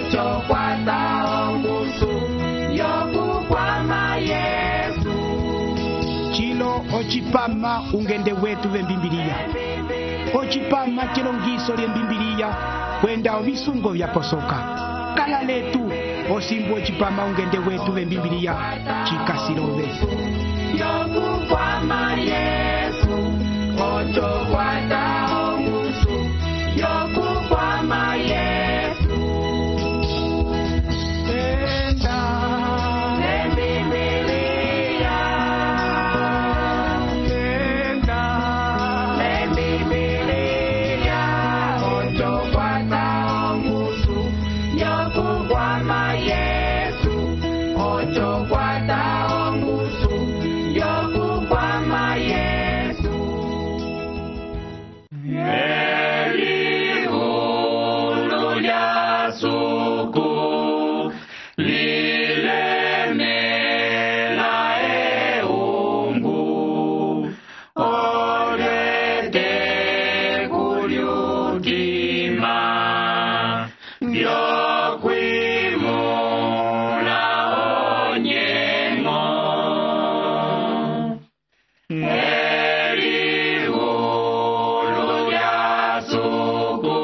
ocho kwata ongusu yokukwama Yesu. Chilo ochipama ungende wetu vembimbiliya. Ochipama chilongiso lyembimbiliya kwenda ovisungo vyaposoka. Kala letu osimbu ochipama ungende wetu vembimbiliya chikasilove. Yokukwama Yesu, ocho kwata ongusu yokukwama Yesu. Enda Lembibiliya, enda Lembibiliya, ocho kwata ongusu yokukwama Yesu, ocho kwata ongusu yokukwama Yesu. Elihulu lya suku lilemela eungu, olete kulyutima vyokwimula onyengo. Elihulu lya suku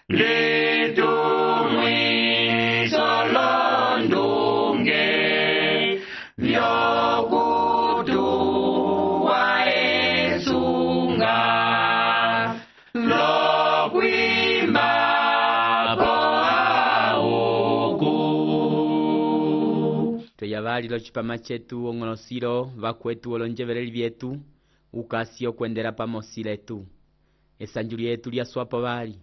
litumwiso londunge vyokutuwa esunga lokwimbapo auku. Tweyavalilo chipama chetu ong'olosilo vakwetu olonjeveleli vyetu ukasi okwendela pamosi letu. Esanju lyetu lyaswapo vali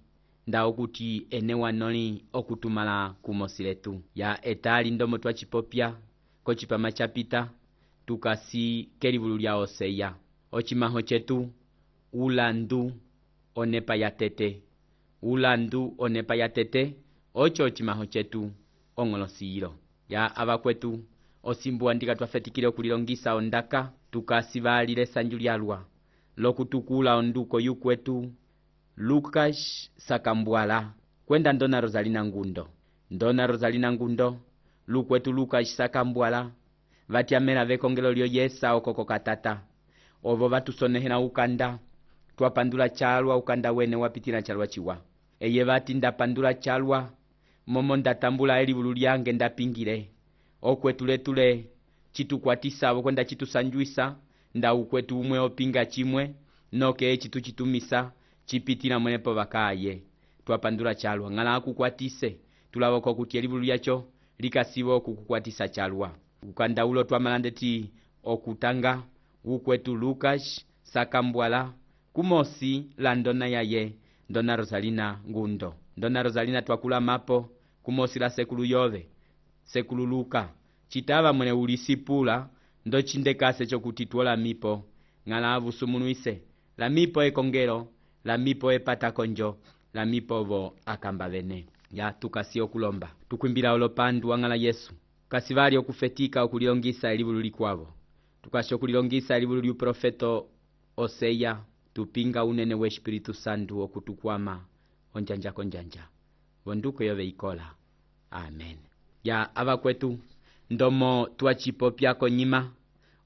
nda okuti ene wanoli okutumala kumosi letu ya etali ndomo twachipopya kochipama chapita tukasi kelivulu lya Oseya. Ochimaho chetu ulandu onepa ya tete. Ulandu onepa ya tete ocho ochimaho chetu ong'olosilo ya avakwetu osimbu andika twafetikile okulilongisa ondaka tukasi valile esanju lyalwa lokutukula onduko yukwetu Lucas Sakambwala kwenda Ndona Rosalina Ngundo. Ndona Rosalina Ngundo lukwetu Lucas Sakambwala vatyamela vekongelo lyo Yesa okoko katata ovo vatusonehela ukanda twapandula chalwa ukanda wene wapitila chalwa chiwa eye vati ndapandula chalwa momo ndatambula elivulu lyange ndapingile okwetu letule chitukwatisavo kwenda chitusanjuisa nda ukwetu umwe opinga chimwe noke chituchitumisa chipitila mwenepo vakaye twapandula chalwa ng'ala akukwatise tulavoko kuti elivulu lyacho likasivo okukukwatisa chalwa ukanda ulo twamalandeti okutanga ukwetu Lucas Sakambwala kumosi la ndona yaye Ndona Rosalina Ngundo. Ndona Rosalina twakula mapo kumosi la sekulu yove sekulu Luka chitava mwene ulisipula ndo chindekase chokuti tuola mipo ng'ala avusumunuise la mipo ekongelo la mipo epata konjo la mipo vo akamba vene ya tukasi okulomba tukwimbila olopandu wang'ala Yesu kasivali okufetika okulilongisa elivulu likwavo tukasi okulilongisa elivulu lyuprofeto Oseya tupinga unene we Espiritu Santu okutukwama onjanja konjanja vonduko yove ikola amen ya avakwetu ndomo twachipopya konyima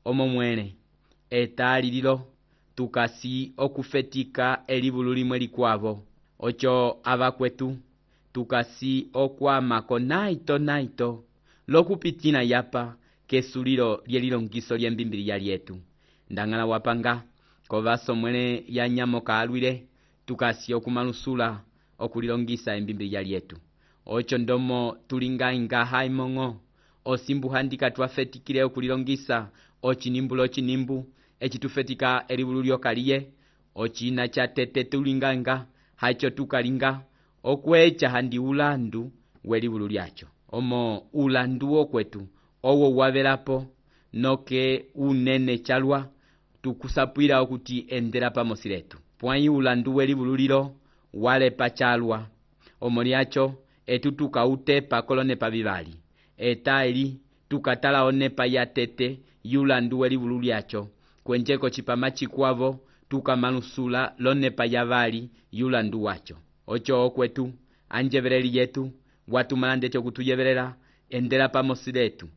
omo mwene etali lilo tukasi okufetika elivulu limwe likwavo ocho avakwetu tukasi okwama naito lokupitina yapa kesulilo lyelilongiso lyembimbiliya lyetu ndang'ala wapanga kovaso mwene yanyamo kaalwile tukasi okumalusula okulilongisa embimbiliya lyetu ocho ndomo tulingainga haimong'o osimbu handika twafetikile okulilongisa ochinimbu echitufetika elivulu lyokaliye ochina cha tete tulingainga hacho tukalinga okwecha handi ulandu welivulu lyacho omo ulandu okwetu owo wavelapo noke unene chalwa tukusapwila okuti endela pamosi letu pwai ulandu welivulu lilo walepa chalwa omo lyacho etutuka utepa kolonepa vivali etaili tukatala onepa ya tete yulandu welivulu lyacho kwenjeko chipama chikwavo tukamalusula lonepa ya vali yulandu wacho ocho okwetu anjeveleli yetu watumala ndete okutuyevelela endela pamosi letu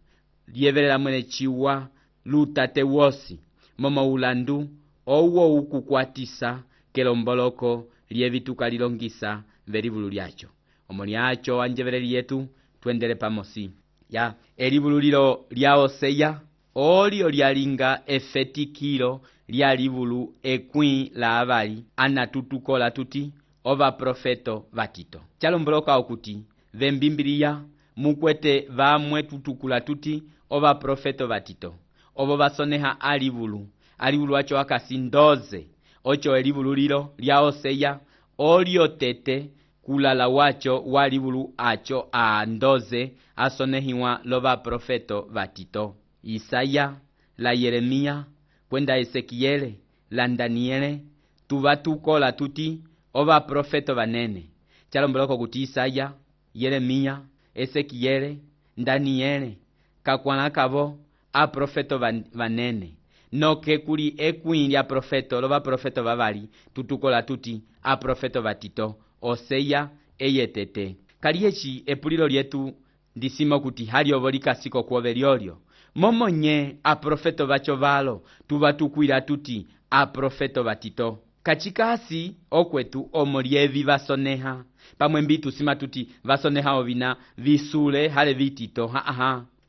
lyevelela mwene ciwa lutate wosi momo ulandu owo ukukwatisa kelomboloko lyevituka lilongisa velivulu lyacho omo lyacho anjeveleli yetu tuendele pamosi ya elivulu lilo lya Oseya olio lyalinga efetikilo lya livulu ekwi la avali anatutukola tuti ova profeto vatito chalomboloka okuti vembimbiliya mukwete vamwe tutukula tuti ova profeto vatito ovo vasoneha alivulu acho akasi 12 ocho elivulu lilo lya Oseya olio tete kulala wacho walivulu acho a 12 asonehiwa lova profeto vatito Isaya la Yeremia kwenda Ezekiele la Daniele tuvatukola tuti ova profeto vanene chalomboloko kuti Isaya, Yeremia, Ezekiele, Daniele kakwana kavo a profeto vanene noke kuli ekwi lya profeto lova profeto vavali tutukola tuti a profeto vatito Oseya eyetete kaliyechi epulilo lyetu ndisimo kuti haliovo likasiko kuove lyolyo momo nye a profeto vacho valo tuvatukwila tuti a profeto vatito kachikasi okwetu omo lyevi vasoneha pamwe mbitu sima tuti vasoneha ovina visule hale vitito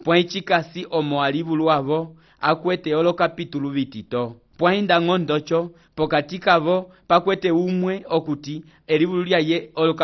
pwa chikasi omo alivulu avo akwete olo kapitulu vitito pwa inda ng'ondocho pokati kavo pakwete umwe okuti elivulu lyaye olo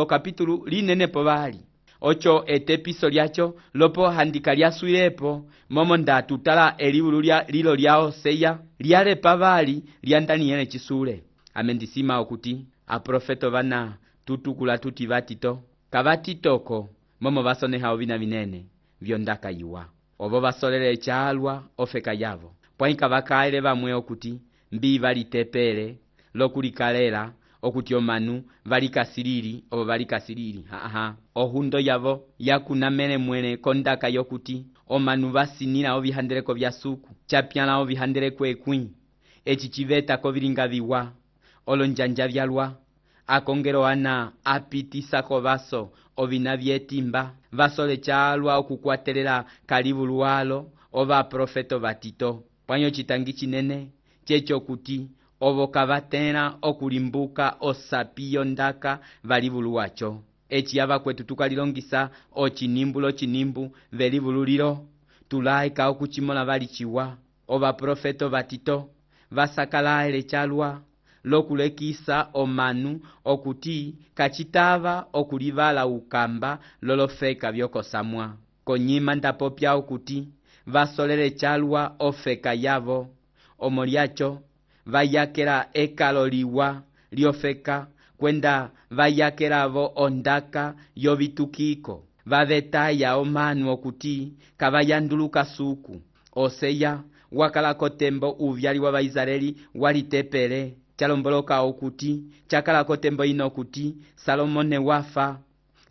kapitulu linene povali ocho etepiso lyacho lopo handika lyasuilepo momo ndatutala elivulu lilo lya Oseya lyale pavali lya Daniele chisule amendisima okuti aprofeto vana tutukula tuti vatito kavatitoko momo vasoneha ovina vinene vyondaka yiwa ovo vasolele chalwa ofeka yavo pwaika vakaele vamwe okuti mbi valitepele lokulikalela okuti omanu valikasiriri ovo valikasiriri ohundo yavo yakunamele mwene kondaka yokuti omanu vasinila ovihandeleko vya suku chapyala ovihandeleko ekwi eci civetako vilinga viwa olonjanja vyalwa akongelo ana apitisako vaso ovina vyetimba vasole chalwa okukwatelela kalivulu walo ova profeto vatito pwanyo chitangi chinene checho kuti ovo kavatela okulimbuka osapiyo ndaka valivulu wacho eci yava kwetu tukalilongisa ochinimbu velivulu lilo tulaika okuchimola valichiwa ova profeto vatito vasakalaele chalwa lokulekisa omanu okuti kachitava okulivala ukamba lolofeka vyokosamwa konyima ndapopya okuti vasolele chalwa ofeka yavo omo lyacho vayakela ekalo liwa lyofeka kwenda vayakelavo ondaka yovitukiko vavetaya omanu okuti kavayanduluka suku Oseya wakalako tembo uvyali wa Vaisraeli walitepele chalomboloka okuti chakalako tembo ino okuti Salomone wafa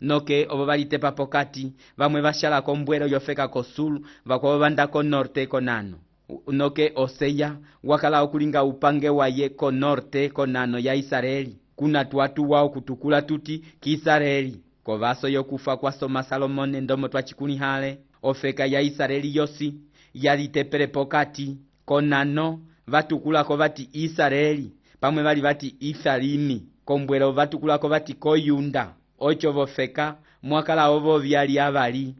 noke ovo valitepa pokati vamwe vashalako mbwelo yofeka kosulu vakwavo vandako norte konano noke Oseya wakala okulinga upange waye ko norte konano ya Israeli kuna tuatu wao kutukula tuti kiisraeli kovaso yokufa kwa soma Salomone ndomo twachikunihale ofeka ya Israeli yosi yalitepele pokati konano vatukulako vati Israeli pamwe vali vati Ifalimi kombwelo vatukulako vati koyunda ocho vofeka mwakala ovo vyali avali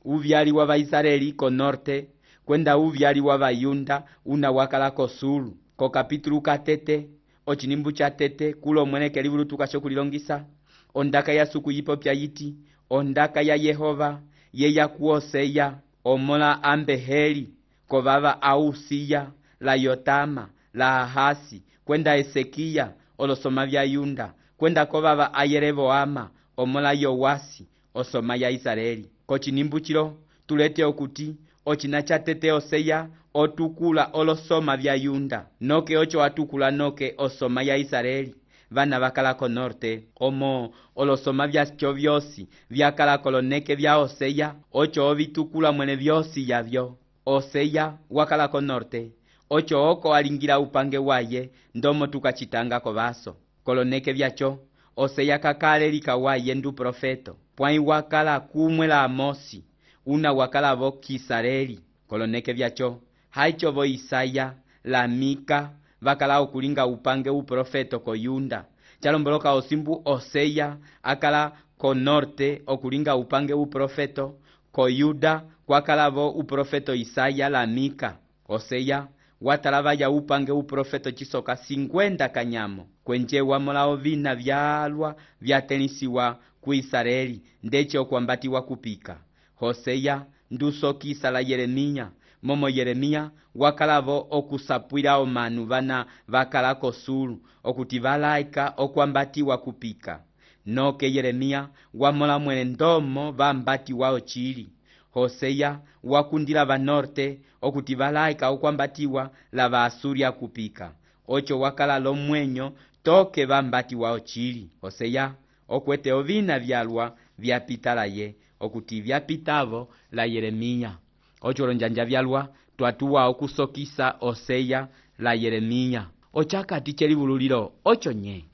uvyali wa Vaisraeli ko norte kwenda uvyali wa Vayunda una wakala kosulu ko kapitulu katete ochinimbu cha tete kulo mweneke livulu tukashokulilongisa ondaka ya suku yipopya yiti ondaka ya Yehova ye ya kuoseya omola ambeheli kovava ausiya la Yotama la Ahasi kwenda Esekia olosoma vya Yunda kwenda kovava Ayeroboama omola Yowasi osoma ya Israeli kochinimbu chilo tulete okuti ochina cha tete Oseya otukula olosoma vya Yunda noke ocho atukula noke osoma ya Israeli vana vakalako norte omo olosoma vyacho vyosi vyakalako loneke vya Oseya ocho ovitukula mwene vyosi yavyo Oseya wakalako norte ocho oko alingira upange waye ndomo tukachitanga kovaso koloneke vyacho Oseya kakale likawaye ndu profeto. Pwai wakala kumwe la Amosi, una wakala vo Kisareli. Koloneke vyacho, haicho vo Isaya, la Mika, vakala okulinga upange uprofeto ko Yunda. Chalomboloka osimbu Oseya, akala ko norte okulinga upange uprofeto, ko Yuda, kwakala vo uprofeto Isaya la Mika. Oseya, watalava ya upange uprofeto chisoka 50 kanyamo. Kwenje wamola ovina vyalwa vyatenisiwa ku Israeli, ndeche okwambatiwa kupika. Hoseya ndusokisa la Yeremia, momo Yeremia wakalavo okusapwila omanu vana vakala kosulu, okuti valaika okwambatiwa kupika. Noke Yeremia wamola mwele ndomo vambatiwa ochili. Hoseya wakundila vanorte okuti valaika okwambatiwa la Vaasuria kupika. Ocho wakala lomwenyo toke vambatiwa ochili. Hoseya okwete ovina vyalwa vyapitala ye, okuti vyapitavo la Yeremia. Ocho lonjanja vyalwa twatuwa okusokisa Oseya la Yeremia. Ochakati chelivululilo ocho nye.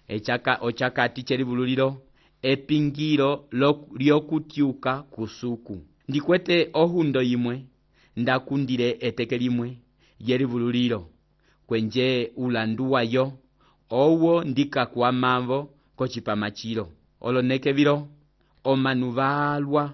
Ochakati chelivululilo epingiro lyokutyuka kusuku. Ndikwete ohundo yimwe, ndakundile eteke limwe yelivululilo. Kwenje ulandu wayo, owo ndikakwamavo kochipamachilo. Oloneke vilo, omanu valwa,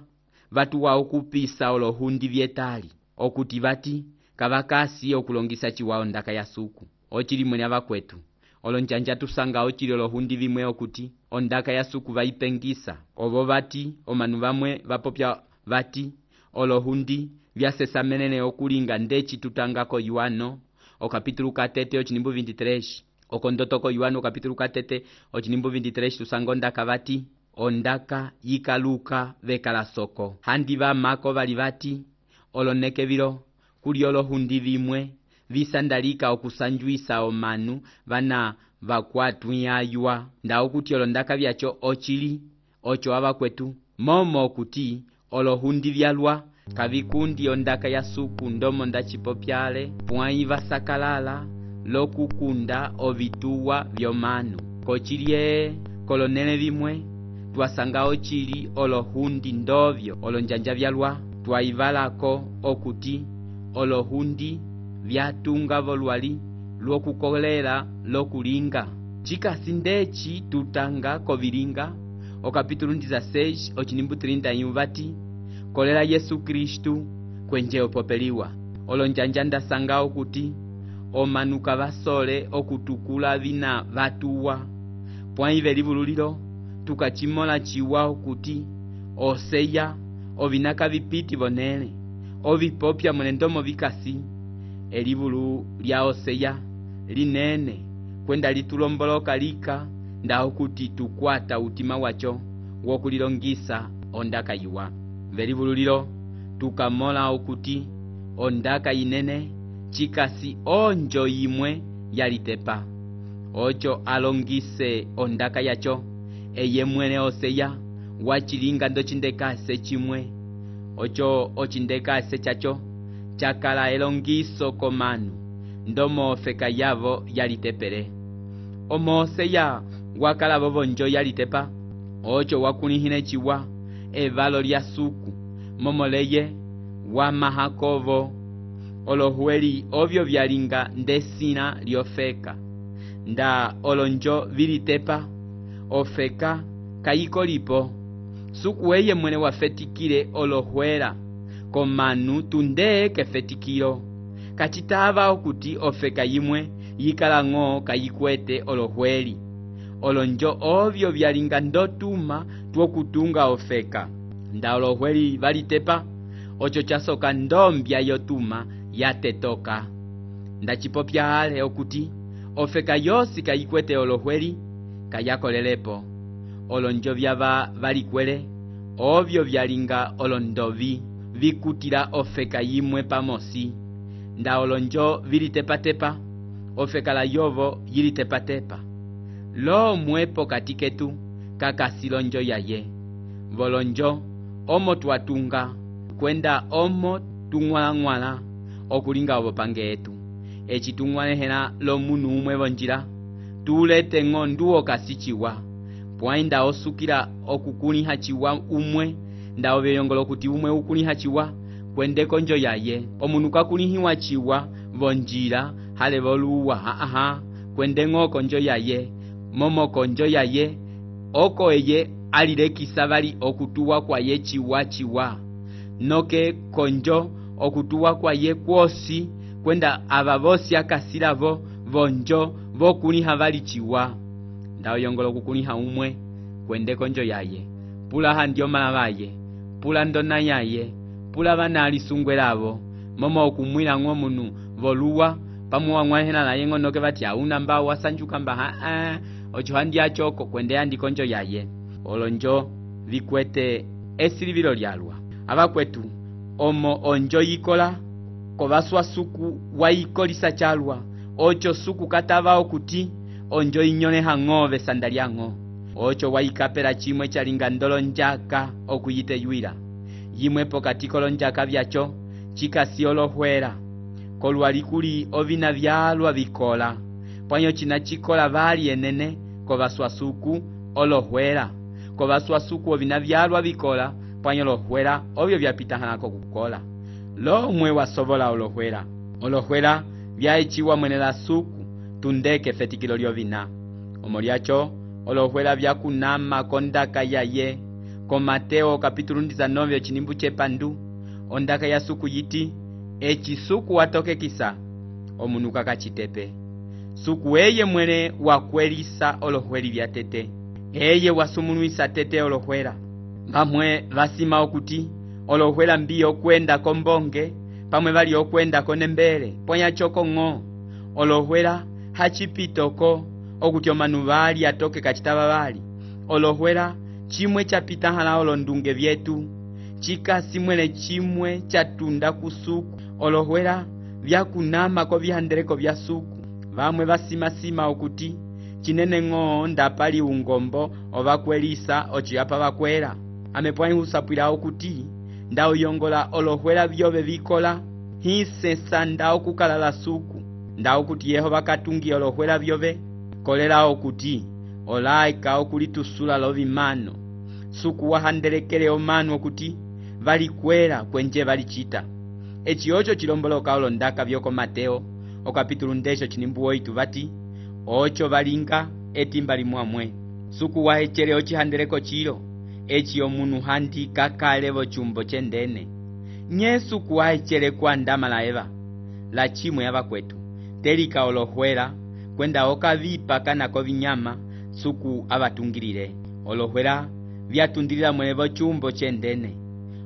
vatuwa okupisa olohundi vyetali. Okuti vati, kavakasi okulongisa chiwao ndaka ya suku. Ochili mwenya vakwetu. Olonjanja tusanga ochili olohundi vimwe okuti, ondaka ya suku vaipengisa. Ovo vati, omanu vamwe vapopya vati, olohundi vyasesa menene okulinga ndechi tutangako Yuano, okapitulu katete ochinimbu 23. Okondotoko Yuano kapitulu katete ochinimbu 23 tusanga ondaka vati, ondaka yikaluka vekala soko. Handi vamako vali vati, oloneke vilo, kuli olohundi vimwe, visandalika okusanjuisa omanu vana vakwatuyaywa. Nda okuti olondaka vyacho ochili, ocho avakwetu, momo okuti olohundi vyalwa, kavikundi ondaka ya suku ndomo ndachipopyale, pwai vasakalala, lokukunda ovituwa vyomanu. Kochilie kolonele vimwe, twasanga ochili olohundi ndovyo. Olonjanja vyalwa, twaivalako okuti olohundi vyatunga volwali, lwokukolela, lokulinga. Chikasi ndechi tutanga kovilinga, okapitulu 16 ochinimbu 30 vati, kolela Yesu Kristu kwenje opopeliwa. Olonjanja ndasanga okuti omanuka vasole okutukula vina vatuwa. Pwai velivululilo tukachimola chiwa okuti Oseya ovinaka vipiti vonele, ovipopya mwenendomo vikasi. Elivulu lya Oseya linene kwenda litulomboloka lika, nda okuti tukwata utima wacho wokulilongisa ondaka yuwa. Velivululilo tukamola okuti ondaka inene chikasi onjo yimwe yalitepa. Ocho alongise ondaka yacho, eye mwene Oseya wachilinga ndochindekase chimwe. Ocho ochindekase chacho chakala elongiso komanu, ndomo ofeka yavo yalitepele. Omo Oseya wakala vovonjo yalitepa, ocho wakulihine chiwa evalo lya suku, momoleye wa mahakovo. Olohueli ovyo vyalinga ndesina lyofeka. Nda olonjo vilitepa, ofeka kayiko lipo. Suku eye mwene wafetikile olohuela, komanu tunde kefetikilo. Kachitava okuti ofeka yimwe yikalango kayikwete olohueli. Olonjo ovyo vyalinga ndotuma tuokutunga ofeka. Nda olohueli valitepa, ocho chasoka ndombya yotuma yatetoka. Nda chipopya hale okuti ofeka yosi kayikwete olohueli kayakolelepo. Olonjo vyava valikwele, ovyo vyalinga olondovi vikutila ofeka yimwe pamosi. Nda olonjo vilitepa-tepa, ofeka la yovo yilitepa-tepa. Lo mwepo katiketu kakasilonjo yaye. Volonjo omo tuatunga, kwenda omo tungwala-ngwala okulinga obopange etu. Echi tungwalehela lo munu umwe vonjila, tulete ngonduo kasichiwa. pwai nda osukila okukuliha chiwa umwe nda ovyeyongolo kuti umwe ukuliha chiwa kwende konjo yaye. Omunu kakulihiwa chiwa vonjila hale voluwa kwende ng'o konjo yaye. Momo konjo yaye oko eye alilekisa bali okutuwa kwaye chiwa noke konjo okutuwa kwaye kwosi kwenda aba bosi akasilavo vonjo vokuliha bali chiwa nda oyongolo kukuliha umwe kwende konjo yaye. Pula handio malabaye, pula ndona yaye, pula bana alisungwelavo momo okumwila ng'o munu voluwa pamuwa ng'wahena na yengo noke bati auna mba wasanjuka mba ocho handi achoko kwende handi konjo yaye. Olonjo vikwete esilivilo lyalwa abakwetu omo onjo yikola kovaswa suku waikolisa chalwa ocho suku katava okuti onjo inyone hang'ove sandaliang'o ocho waikapela chimwe chalinga ndolo njaka okuyite yuila yimwe pokatikolo njaka vyacho chikasi olohwela kolwalikuli ovina vyalwa vikola pwanyo china chikola vali enene kovaswa suku olohwela kovaswa suku ovina vyalwa vikola pwanyo lohwela ovyo vyapitahanako kukola lomwe wasobola olohwela vyaechiwa mwenela suku tundeke fetikilo lyovina omolyacho olohwela vyakunama kondaka yaye ko Mateo kapitulu 19 chinimbu chepandu ondaka ya suku yiti echisuku watokekisa omunu kakachitepe suku eye mwene wakwelisa olohweli vyatete eye wasumunuisa tete olohwela pamwe vasima okuti olohwela mbiyo kwenda kombonge pamwe bali okwenda konembele ponya choko ng'o olohwela hachipitoko okuti omanu bali atoke kachitaba bali olohwela chimwe chapitahala olondunge vyetu chikasi mwene chimwe chatunda kusuku olohwela vyakunama ko vihandeleko vya suku vamwe basima okuti chinene ng'o ndapali ungombo obakwelisa ochiyapa bakwela amepwani husapwila okuti nda uyongola olohwela vyobe vikola hisesa nda okukalala suku nda okuti Yehova katungi olohwela vyobe kolela okuti olaika okulitusula lovimano suku wahandelekele omanu okuti valikwela kwenje valichita echiocho chilomboloka olondaka vyoko Mateo okapitulu 10 chinimbu 8 vati ocho valinga etimba limwamwe suku wahechele ochihandeleko chilo echi omunu handi kakalevo chumbo chendene nye suku wahechele kwa ndama la eva la chimwe abakwetu telika olohwela kwenda okavipa kanako vinyama suku abatungilile olohwela vyatundilila mwenevo chumbo chendene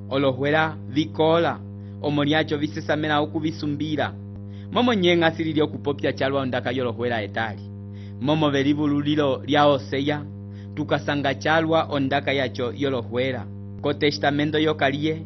olohwela vikola omolyacho visesamela okuvisumbila momo nyenga silili okupopya chalwa ondaka yolohwela etali momo velivululilo lya Oseya tukasanga chalwa ondaka yacho yolohwela ko testamento yokaliye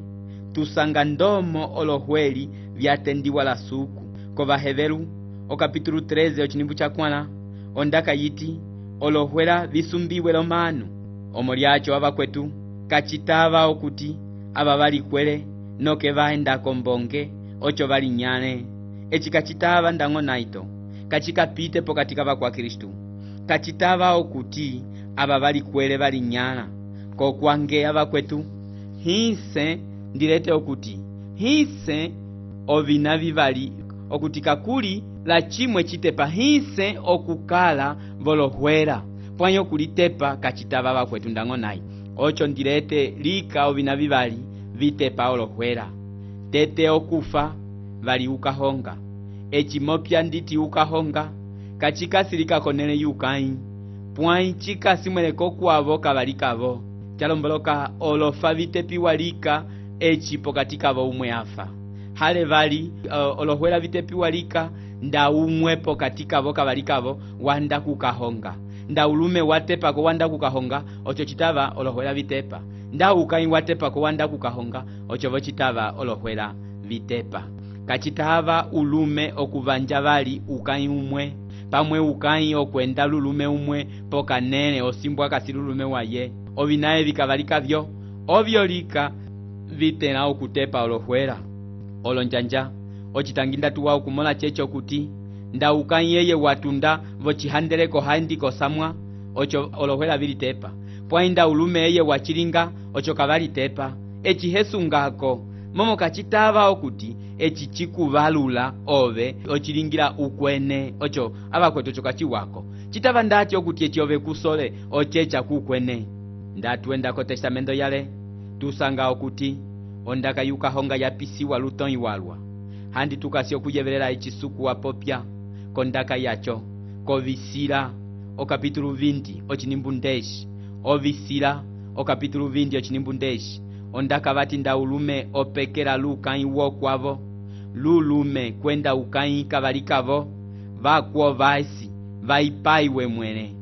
tusanga ndomo olohweli vyatendiwa la suku ko Baheberu okapitulu 13 ochinimbu chakwana ondaka yiti olohwela visumbiwe lomanu omolyacho abakwetu kachitava okuti aba balikwele noke vaenda kombonge ocho balinyane echikachitava ndang'o naito kachikapite pokatika bakwa Kristu kachitava okuti aba balikwele balinyana ko kwange abakwetu hise ndilete okuti hise ovina vivali okuti kakuli la chimwe chitepa hise okukala volohwela pwanyo kulitepa kachitava bakwetu ndang'o nai ocho ndilete lika ovina vivali vitepa olohwela tete okufa vali ukahonga echimopya nditi ukahonga kachikasilika konene yukai pwai chikasi mweleko kwavo kavalikavo chalomboloka olofa vitepiwa lika echi pokatikavo umwe afa hale vali olohwela vitepiwa lika nda umwe pokatikavo kavalikavo wanda kukahonga nda ulume watepa ko wanda kukahonga ocho chitava olohwela vitepa nda ukai watepa ko wanda kukahonga ocho vochitava olohwela vitepa kachitava ulume okuvanja vali ukai umwe pamwe ukai okwenda lulume umwe pokanene osimbwa kasi lulume waye ovinaye vikavalika vyo ovyo lika vitena okutepa olohwela olonjanja ochitanginda tuwa okumola checho kuti nda ukai yeye watunda vochihandeleko handi kosamwa ocho olohwela vilitepa pwainda ulume eye wachilinga ocho kavalitepa eci hesungako momo kachitava okuti eci chikuvalula ove ochilingira ukwene ocho avakwetu ocho kachiwako chitava ndati okuti eci ove kusole ochecha kukwene. Ndatuendako testamento yale tusanga okuti ondaka yukahonga yapisiwa lutoi walwa handi tukasi okuyevelela echisuku wapopya kondaka yacho kovisila okapitulu 20 ochinimbu ndeshi ovisila okapitulu 20 ochinimbu ndeshi ondaka vati nda ulume opekela lukai wokwavo lulume kwenda ukai kavalikavo vakuo vaisi vaipaiwe mwene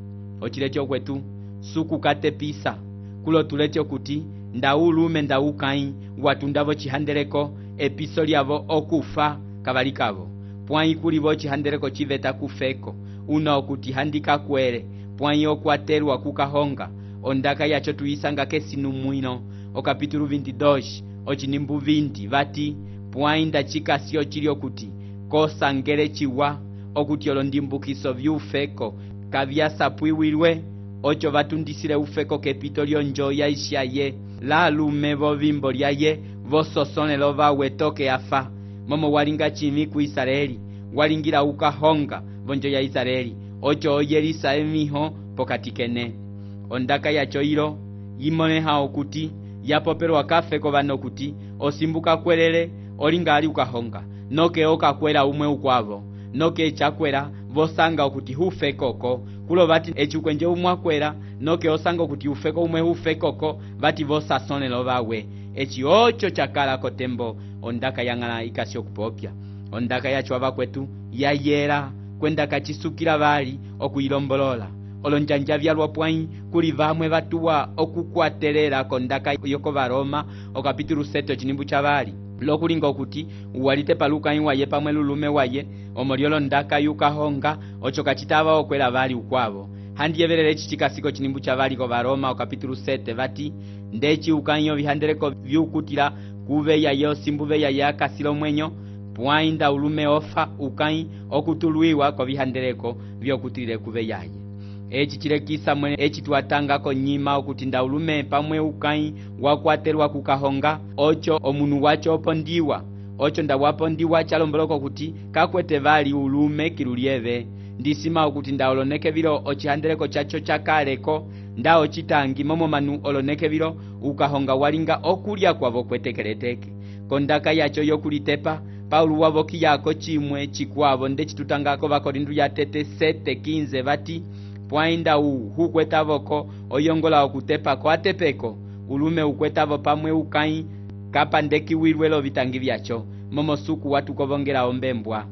ochilecho kwetu suku katepisa kulo tulecho kuti nda ulume nda ukai watundavo chihandeleko episo lyavo okufa kavalikavo pwai kulivo chihandeleko chiveta kufeko una okuti handika kwere pwai okwatelwa kukahonga ondaka yacho tuyisanga kesinu mwino okapitulu 22 ochinimbu 20 vati pwai ndachikasi ochili okuti kosangele chiwa okuti olondimbukiso vyufeko kavyasapwiwilwe ocho vatundisile ufeko kepito lyonjo yaishaye la lume vovimbo lyaye vososonelo vawe toke afa momo walinga chimi ku Israeli walingira ukahonga vonjo ya Israeli ocho oyelisa emiho pokati kene ondaka yacho ilo yimoneha okuti yapopelwa kafeko vano kuti osimbuka kwelele olinga ali ukahonga noke okakwela umwe ukwavo noke chakwela vosanga okuti hufekoko kulo vati echukwenje umwakwela noke osanga okuti ufeko umwe hufekoko vati vosasonelo vawe echi ocho chakala kotembo ondaka yang'ala ikasi okupopya ondaka yacho avakwetu yayela kwenda kachisukila vali okuilombolola olonjanja vyalwa pwai kuli vamwe vatuwa okukwatelela kondaka yoko Varoma okapitulu 7 ochinimbu cha vali lokulinga okuti walite palukai waye pamwe lulume waye omolyolo ndaka yukahonga ocho kachitava okwela vali ukwavo handiyevelele echi chikasiko chinimbu cha vali ko Varoma okapitulu 7 vati ndechi ukanyo vihandeleko vyukutila kuve yaye osimbuve yaye akasilo mwenyo pwainda ulume ofa ukai okutulwiwa ko vihandeleko vyokutilile kuve yaye echi chilekisa mwene echi tuatangako nyima okuti nda ulume pamwe ukai wakwatelwa kukahonga ocho omunu wacho opondiwa ocho nda wapondiwa chalomboloko kuti kakwete vali ulume kilulieve ndisima okuti nda oloneke vilo ochihandeleko chacho chakaleko nda ochitangi momo manu oloneke vilo ukahonga walinga okulya kwavo kwetekeleteke kondaka yacho yokulitepa Paulo wavoki yako chimwe chikwavo nde chitutangako vakorindu ya tete 7:15 vati pwainda hukwetavoko oyongola okutepa ko atepeko ulume ukwetavo pamwe ukai kapandekiwilwelo vitangi vyacho momo suku watukovongela ombembwa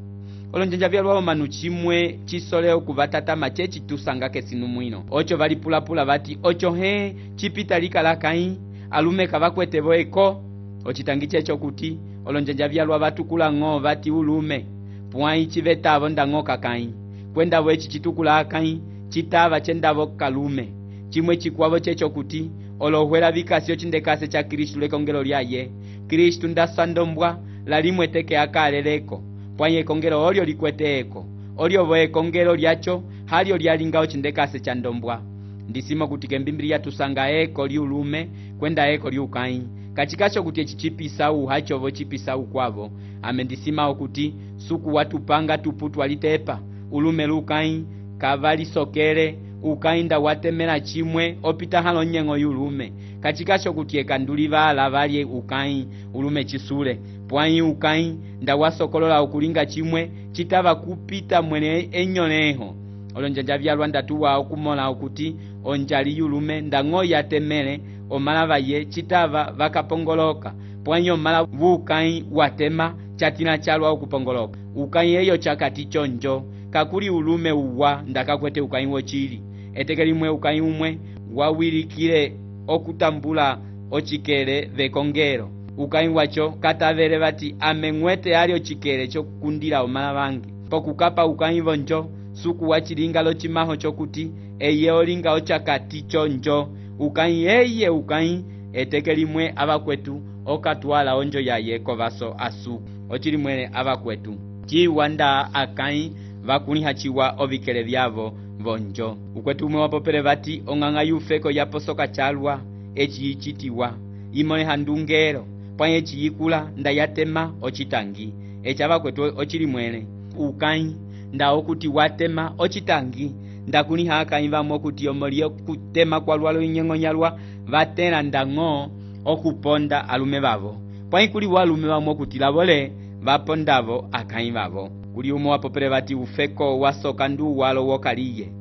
olonjanja vyalwao manu chimwe chisole okuvatatama chechi tusanga kesinu mwino ocho valipulapula vati ocho he chipita likalakai alume kavakwetevo eko ochitangi checho kuti olonjanja vyalwa vatukula ng'o vati ulume pwai chivetavo ndang'o kakai kwendavo echi chitukula akai chitava chendavo kalume chimwe chikwavo checho kuti olohwela vikasi ochindekase cha Kristu lekongelo lyaye Kristu ndasandombwa lalimwe teke akaleleko pwai ekongelo olyo likweteeko olyo vo ekongelo lyacho halyo lyalinga ochindekase cha ndombwa ndisima kuti kembimbili tusanga eko liulume kwenda eko liukai kachikacho kuti echichipisa uhachovo chipisa ukwavo amendisima okuti suku watupanga tuputwa litepa ulume lukai kavali sokele ukainda watemela chimwe opita halo nyengo yulume kachikacho kuti ekandulivala valye ukai ulume chisule pwai ukai nda wasokolola ukulinga chimwe chitava kupita mwene enyoneho olonjanja vyalwa ndatuwa okumola okuti onjali yulume ndang'o yatemele omalava ye chitava vakapongoloka pwai omala vukai watema chatina chalwa okupongoloka ukai eyo chakati chonjo kakuli ulume uwa ndakakwete ukai wochili etekelimwe ukai umwe wawilikile okutambula ochikele vekongelo ukai wacho katavele vati ameng'wete ali ochikele chokukundila omala vange pokukapa ukai vonjo suku wachilinga lochimaho chokuti eye olinga ochakati chonjo ukai eye ukai etekelimwe avakwetu okatwala onjo yaye kovaso asuku ochilimwele avakwetu chiwanda akai vakuliha chiwa ovikele vyavo vonjo. Ukwetu umwe wapopele vati ong'ang'a yufeko yaposoka chalwa eci yichitiwa imone handungero pwa eci yikula nda yatema ocitangi eci avakwetu ocili mwene ukai nda okuti watema ocitangi nda kuni hakayi vamwe okuti omoliyo kutema kwa lwalo inyeng'onyalwa vatela ndang'o okuponda alume vavo pwa kuli walume vamwe okuti lavole vapondavo akayi vavo. Kuli umwe wapopele vati ufeko wasoka ndu walo wokaliye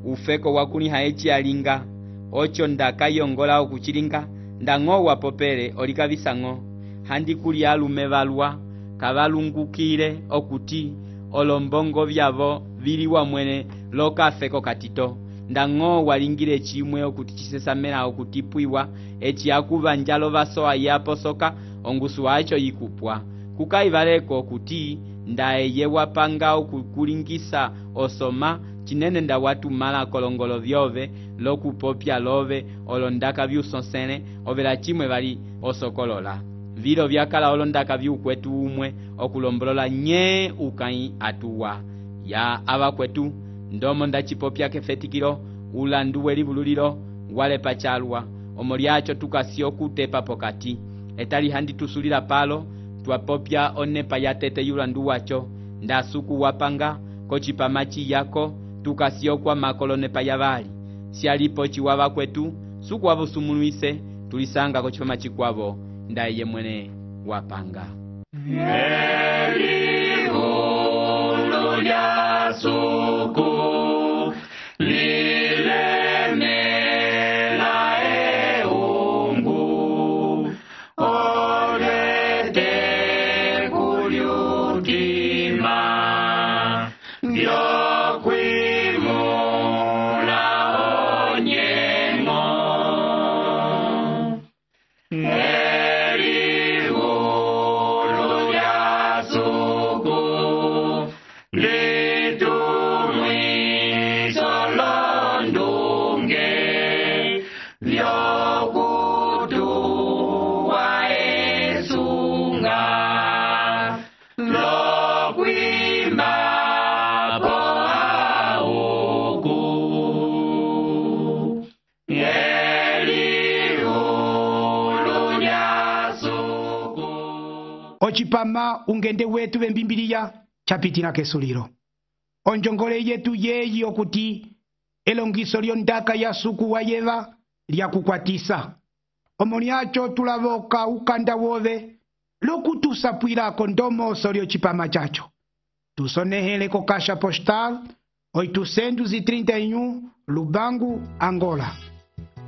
ufeko wakuni haeci alinga ocho ndakayongola okuchilinga ndang'o wapopele olikavisang'o handi kuli alume valwa kavalungukile okuti olombongo vyavo vili wamwene lokafeko katito ndang'o walingile chimwe okuti chisesamela okutipwiwa eci akuvanjalo vasoa yaposoka ongusu wacho yikupwa kukaivaleko okuti ndaeye wapanga okukulingisa osoma chinene nda watumala kolongolo vyove lokupopya love olondaka vyusonsene ovela chimwe vali osokolola vilo vyakala olondaka vyukwetu umwe okulombolola nye ukai atuwa ya avakwetu ndomo ndachipopya kefetikilo ulandu welivululilo wale pachalwa omolyacho tukasio kutepa pokati etali handi tusulila palo twapopya onepa yatete yulandu wacho ndasuku wapanga kochipamachi yako tukasio kwa makolonepa yavali sialipo chiwava kwetu suku wavosumuluise tulisanga kochipamachi kwavo ndaye mwene wapanga. Eliulu lya suku lilemela eungu olete kulyutima vyokwimula onyengo Eliulu lya suku litumwiso londunge vyokutuwa esunga lokwima po auku Eliulu lya suku ocipama ungende wetu vembimbiliya chapitila kesulilo onjongole yetu yeyi okuti elongiso lyondaka ya suku wa yeva lyakukwatisa omolyacho tulavoka ukanda wove lokutusapwilako ndomoso lyocipama chacho tusonehele ko caixa postal 831 Lubangu, Angola.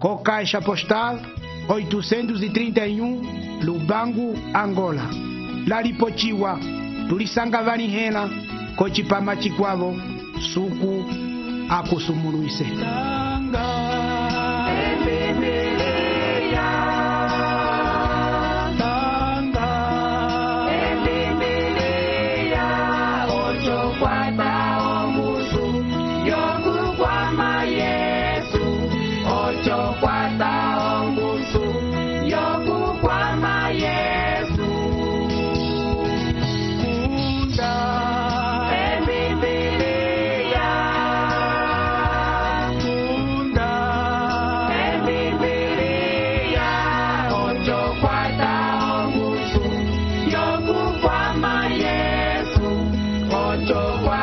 Co caixa postal 831 Lubangu, Angola. Lalipochiwa tulisanga vanihela kochipama chikwavo suku akusumuluise. Yo